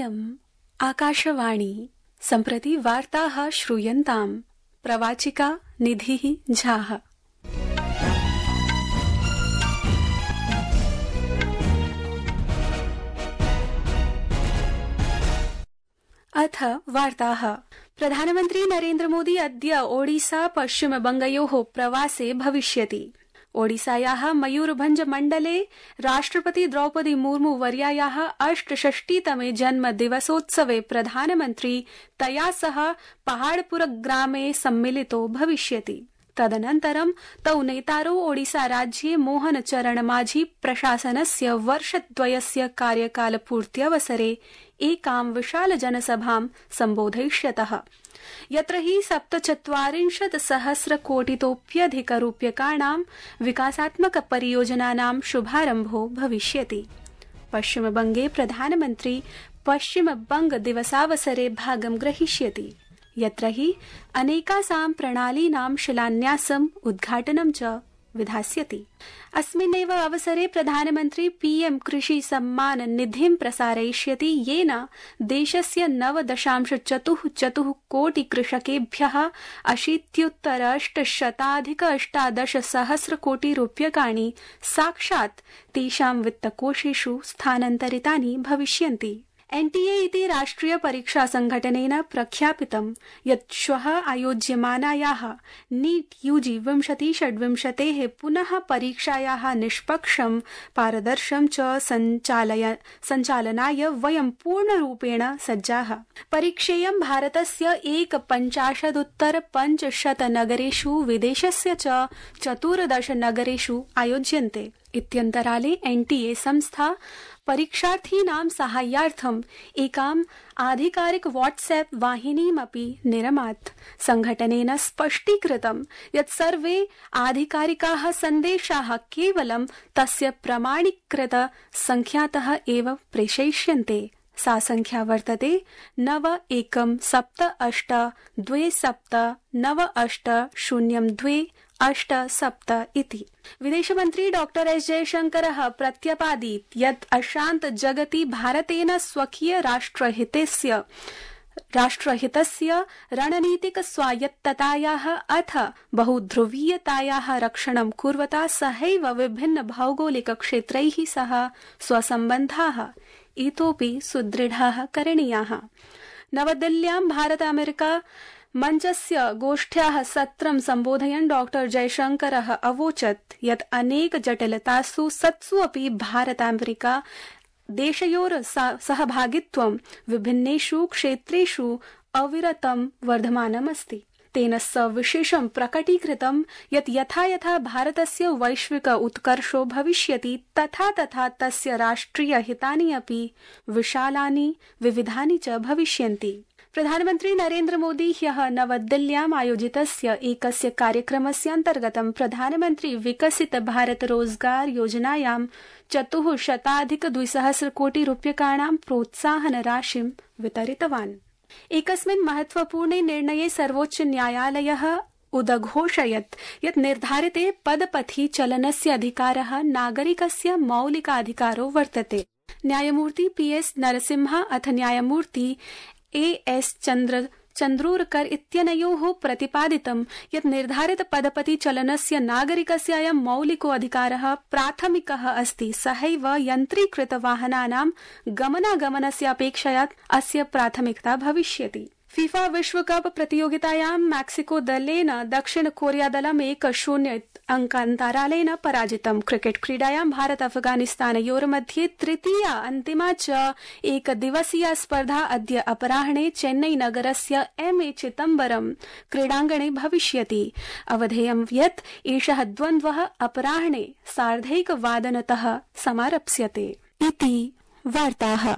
इयम् आकाशवाणी सम्प्रति वार्ताः श्रूयन्ताम् प्रवाचिका निधिः झाः। अथ वार्ताः। प्रधानमन्त्री नरेन्द्र मोदी अद्य ओडिसा पश्चिमबंगयोः प्रवासे भविष्यति। ओडिसायाः मयूरभंज मण्डले राष्ट्रपति द्रौपदी मुर्मू वर्यायाः 68तमे जन्मदिवसोत्सवे प्रधानमन्त्री तया सह पहाड़पुर ग्रामे सम्मिलितो भविष्यति। तदनन्तरं तौ नेतारौ ओडिसा राज्ये मोहन चरण माझी प्रशासनस्य वर्षद्वयस्य कार्यकालपूर्त्यवसरे एकां विशाल जनसभां सम्बोधयिष्यतः, यत्र हि 47 सहस्रकोटितोप्यधिकरूप्यकाणां विकासात्मक परियोजनानां शुभारम्भो भविष्यति। पश्चिमबंगे प्रधानमन्त्री पश्चिमबंग दिवसावसरे भागं ग्रहीष्यति, यत्र हि अनेकासां प्रणालीनां शिलान्यासम् उद्घाटनं च विधास्यति। अस्मिन्नेव अवसरे प्रधानमन्त्री पीएम कृषि सम्मान निधिं प्रसारयिष्यति, येन देशस्य 9.44 कोटि कृषकेभ्यः 80,818 कोटि रूप्यकाणि साक्षात् तेषां वित्तकोषेषु स्थानान्तरितानि भविष्यन्ति। एनटीए इति राष्ट्रिय परीक्षा संघटनेन प्रख्यापितं यत् श्वः आयोज्यमानायाः नीट यूजी 2026 पुनः परीक्षायाः निष्पक्षं पारदर्शं च सञ्चालनाय वयं पूर्णरूपेण सज्जाः। परीक्षेयं भारतस्य 51,500 नगरेषु विदेशस्य च 14 नगरेषु आयोज्यन्ते। इत्यन्तराले एनटीए संस्था परीक्षार्थीनां साहाय्यार्थम् एकाम् आधिकारिक व्हाट्सएप वाहिनीमपि निरमात्। संघटनेन स्पष्टीकृतं यत् सर्वे आधिकारिकाः सन्देशाः केवलं तस्य प्रमाणीकृत संख्यातः एव प्रेषयिष्यन्ते। सा संख्या वर्तते 917297980287 इति। विदेशमन्त्री डॉक्टर एस जयशंकरः प्रत्यपादीत् यत् अशान्त जगति भारतेन स्वकीय राष्ट्रहितस्य रणनीतिक स्वायत्ततायाः अथ बहुध्रुवीयतायाः रक्षणं कुर्वता सहैव विभिन्न भौगोलिक क्षेत्रैः सह स्वसम्बन्धाः इतोपि सुदृढाः करणीयाः। नवदिल्ल्यां भारत अमेरिका मञ्चस्य गोष्ठ्याः सत्रं सम्बोधयन् डॉक्टर जयशंकरः अवोचत् यत् अनेक जटिलतासु सत्सु अपि भारत अमेरिका देशयोर सहभागित्वं विभिन्नेषु क्षेत्रेषु अविरतं वर्धमानमस्ति। तेन सविशेषं प्रकटीकृतं यत् यथा यथा भारतस्य वैश्विक उत्कर्षो भविष्यति तथा तथा तस्य राष्ट्रिय हितानि अपि विशालानि विविधानि च भविष्यन्ति। प्रधानमन्त्री नरेन्द्र मोदी ह्यः नवदिल्ल्याम् आयोजितस्य एकस्य कार्यक्रमस्य अन्तर्गतं प्रधानमन्त्री विकसित भारत रोजगार योजनायां 400,200 कोटि रूप्यकाणां प्रोत्साहन राशिं वितरितवान्। एकस्मिन् महत्वपूर्णे निर्णये सर्वोच्च न्यायालयः उदघोषयत् यत् निर्धारिते पदपथि चलनस्य अधिकारः नागरिकस्य मौलिकाधिकारो वर्तते। न्यायमूर्ति पीएस नरसिम्हा अथ न्यायमूर्ति एएस चन्द्रोरकर इत्यनयोः प्रतिपादितं यत् निर्धारित पदपति चलनस्य नागरिकस्य अयं मौलिको अधिकारः प्राथमिकः अस्ति। सहैव यन्त्रीकृत वाहनानां गमनागमनस्य अपेक्षया अस्य प्राथमिकता भविष्यति। फीफा विश्वकप प्रतियोगितायां मैक्सिको दलेन दक्षिण कोरिया दलं 1-0 अंकान्तरालेन पराजितम्। क्रिकेट क्रीडायां भारत अफगानिस्तानयोर्मध्ये तृतीया अन्तिमा च एकदिवसीया स्पर्धा अद्य अपराह्णे चेन्नई नगरस्य एमए चिदम्बरम क्रीडाङ्गणे भविष्यति। अवधेयं यत् एषः द्वन्द्वः अपराह्णे 1:30 समारप्स्यते। इति वार्ताः।